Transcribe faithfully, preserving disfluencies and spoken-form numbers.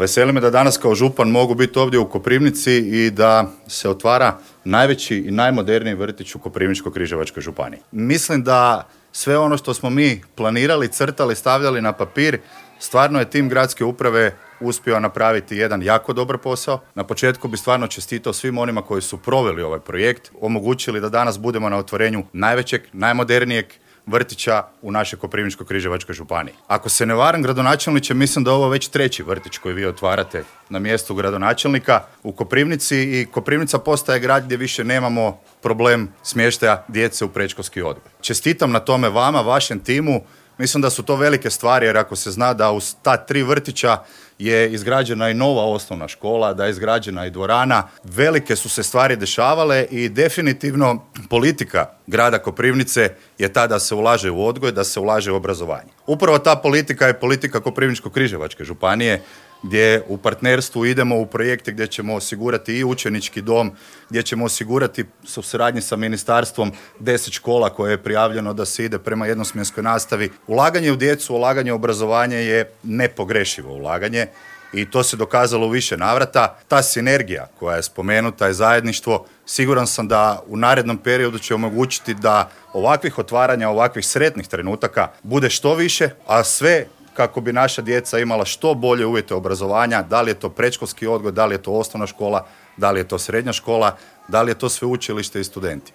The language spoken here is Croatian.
Veseli me da danas kao župan mogu biti ovdje u Koprivnici i da se otvara najveći i najmoderniji vrtić u Koprivničko-križevačkoj županiji. Mislim da sve ono što smo mi planirali, crtali, stavljali na papir, stvarno je tim gradske uprave uspio napraviti jedan jako dobar posao. Na početku bi stvarno čestitao svim onima koji su proveli ovaj projekt, omogućili da danas budemo na otvorenju najvećeg, najmodernijeg vrtića u našoj Koprivničko-križevačkoj županiji. Ako se ne varam, gradonačelniče, mislim da je ovo već treći vrtić koji vi otvarate na mjestu gradonačelnika u Koprivnici i Koprivnica postaje grad gdje više nemamo problem smještaja djece u predškolski odgoj. Čestitam na tome vama, vašem timu. Mislim da su to velike stvari, jer ako se zna da uz ta tri vrtića je izgrađena i nova osnovna škola, da je izgrađena i dvorana, velike su se stvari dešavale i definitivno politika grada Koprivnice je ta da se ulaže u odgoj, da se ulaže u obrazovanje. Upravo ta politika je politika Koprivničko-križevačke županije, gdje u partnerstvu idemo u projekte gdje ćemo osigurati i učenički dom, gdje ćemo osigurati u suradnji sa ministarstvom deset škola koje je prijavljeno da se ide prema jednosmjenskoj nastavi. Ulaganje u djecu, ulaganje u obrazovanje je nepogrešivo ulaganje i to se dokazalo u više navrata. Ta sinergija koja je spomenuta je zajedništvo. Siguran sam da u narednom periodu će omogućiti da ovakvih otvaranja, ovakvih sretnih trenutaka bude što više, a sve kako bi naša djeca imala što bolje uvjete obrazovanja, da li je to predškolski odgoj, da li je to osnovna škola, da li je to srednja škola, da li je to sveučilište i studenti.